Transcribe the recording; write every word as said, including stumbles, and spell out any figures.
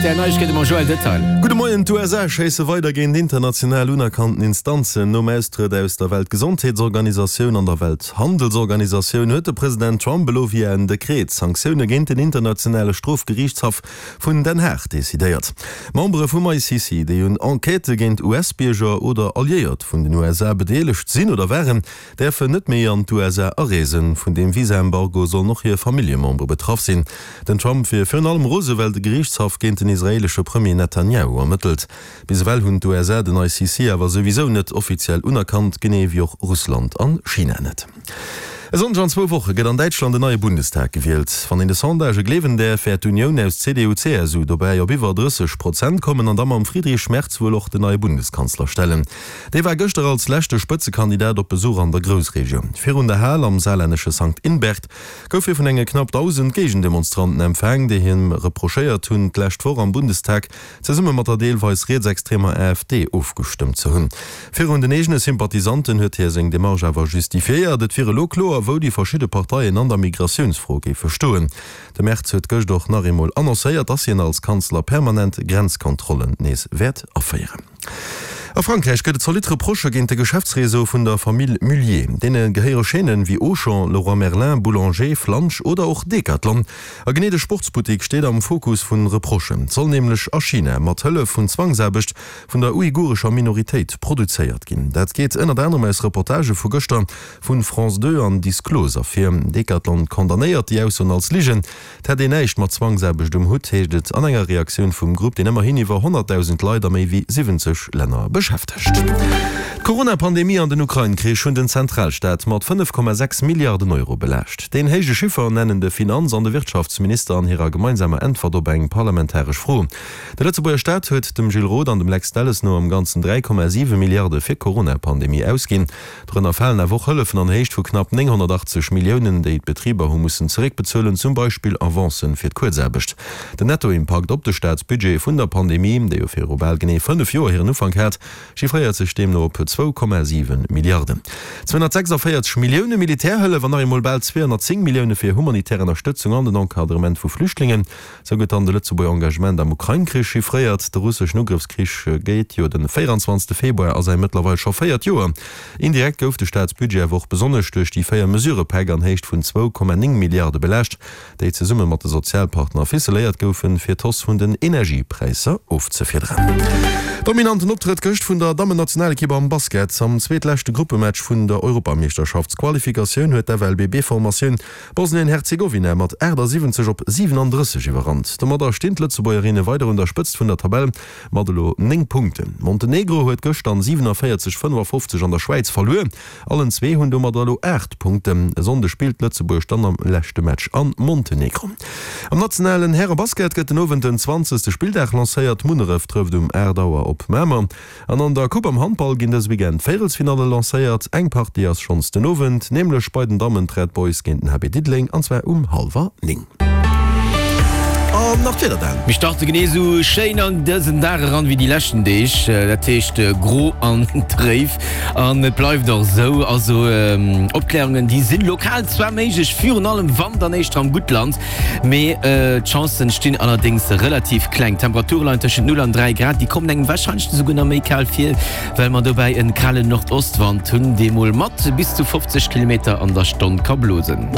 R T L Neiegkeete mam Joël Detail. Gudde Moien, D'U S A schéisse weider géint international unerkannten Instanzen. Nom Austrëtt aus der Weltgesondheetsorganisatioun an der Welthandelsorganisatioun huet de President Trump elo via en Dekret Sanktioune géint den internationale Strofgeriichtshaff vun Den Haag decidéiert. Membere vum I C C, déi un Enquêtë géint U S-Bierger oder Alliéiert vun den U S A bedeelegt sinn oder waren, däerfen net méi an d'U S A areesen. Vun deem Visaembargo sollen och hir Familljemembere betraff sinn. Den Trump wier virun allem rose well de Geriichtshaff géint den israeelesche Premier Netanjahu ermëttelt. Bis ewell hunn d'U S A den I C C awer souwisou net offiziell unerkannt, genee wéi och Russland an China net. E Sonndeg an zwou Woche gëtt an Däitschland en neie Bundestag gewielt. Wann een de Sondagë gleewen däerf, wäert d'Unioun aus C D U-C S U dobäi op iwwer drësseg Prozent kommen an da mam Friedrich Merz wuel och den neie Bundeskanzler stellen. Dee war gëschter als leschte Spëtzekandidat op Besuch an der Groussregioun. Virun der Hal am saarlännesche Sankt Ingbert gouf hie vun enge knapp dausend Géigendemonstranten empfaang, déi him reprochéiert hunn, d'lescht Woch am Bundestag zesumme mat der deelweis rietsextremer A F D ofgestëmmt ze hunn. Virun den eegene Sympathisanten huet hie seng Demarche awer justifiéiert. Et wier elo kloer, wou déi verschidde Parteien an der Migratiounsfro géife stoen. De Merz huet gëscht och nach eemol annoncéiert, dass hien als Kanzler permanent Grenzkontrollen nees wäert aféieren. A Frankräich gëtt et zolidd Reprochë géint de Geschäftsreseau vun der Famill Mulliez. Deene gehéiere Chaînen wéi Auchan, Leroy Merlin, Boulanger, Flunch oder och Decathlon. A genee de Sportsbuttek steet am Fokus vu Reprochen. Et soll nämlech a China mat Hëllef vun Zwangsaarbecht vun der uigurescher Minoritéit produzéiert ginn. Dat geet ënnert anerem aus Reportagë vu gëschter vu France zwee an Disclose ervir. Decathlon condamnéiert déi Aussoen als Ligen. Et hätt een näischt mat Zwangsaarbecht um Hutt, heescht et an enger Reaktioun vum Grupp, deen ëmmerhin iwwer honnertdausend Leit a méi wéi siwwenzeg Länner beschäftegt. D'Corona-Pandemie an den Ukrain-Krich hunn den Zentralstaat mat fënnef Komma sechs Milliarden Euro belaascht. Deen héije Chiffer nennen de Finanz an de Wirtschaftsminister an hirer gemeinsamer Äntwert op eng parlamentaresch Fro. De Lëtzebuerger Staat huet dem Gilles Roth an dem Lex Delles no am Ganzen dräi Komma siwe Milliarde fir d'Corona-Pandemie ausginn. Dorënner falen awer och Hëllefen an Héicht vu knapp nénghonnertachtzeg Milliounen, déi d'Betriber hu mussen zeréckbezuelen, zum Beispill Avancen fir d'Kuerzaarbecht. Den Nettoimpakt op de Staatsbudget vun der Pandemie, déi jo viru bal genee fënnef Joer hiren Ufank hat, chiffréiert sech deemno op zwou Komma siwe Milliarden. Zweehonnertsechsundvéierzeg Millioune Militärhëllef an nach eemol bal zweehonnertzéng Millioune fir humanitär Ënnerstëtzung an den Encadrement vu Flüchtlingen. Sou gëtt dann de Lëtzebuerger Engagement am Ukrain-Krich chiffréiert. De russeschen Ugrëffskrich geet jo de véierundzwanzegste Februar a säi mëttlerweil scho véiert Joer. Indirekt gouf de Staatsbudget awer och besonnesch duerch déi véier Mesurëpäck an Héicht vun zwou Komma néng Milliarde belaascht, déi zesumme mat de Sozialpartner ficeléiert goufen, fir d'Hausse vun den Energiepräisser ofzefiederen. Dominanten Optrëtt gëscht vun der Dammennationalekipp am Basket. Am zweetleschte Gruppematch vun der Europameeschterschaftsqualifikatioun huet d'F L B B-Formatioun Bosnien-Herzegowina mat achtasiwwenzeg op siwenandrësseg iwwerrannt. Domadder stinn d'Lëtzebuergerinne weider un der Spëtzt vun der Tabell mat elo néng Punkten. Montenegro huet gëscht dann siewenanvéierzeg fënnefafofzeg an der Schwäiz verluer. Allen zwee hunn domadder elo aacht Punkten. E Sonnde spillt Lëtzebuerg dann am leschte Match a Montenegro. Am nationalen Härebasket gëtt den Owend den zwanzegste Spilldag lancéiert. Munneref trëfft um aacht Auer op Mamer. An an der Coupe am Handball ginn dëse Weekend d'Véierelsfinalle lancéiert. Eng Partie ass schonns den Owend, nämlech bei den Dammen d'Red Boys géint den H B Diddeleng, an zwar um hallwer néng. An nach d'Wieder dann. Mir starte genee sou schéin an dësen Dag eran wéi déi leschten Deeg, dat heescht gro an dréif. An et bleift och esou. Also Opklärungen, déi sinn lokal zwar méiglech, virun allem wann dann éischter am Guttland, mee d'Chancen stinn allerdéngs relativ kleng. D'Temperature leien tëschent null an dräi Grad, déi kommen engem warscheinlech esouguer nach méi kal vir, well mer dobäi en kalen Nordostwand hunn, dee mol mat bis zu fofzeg Kilometer an der Stonn ka blosen.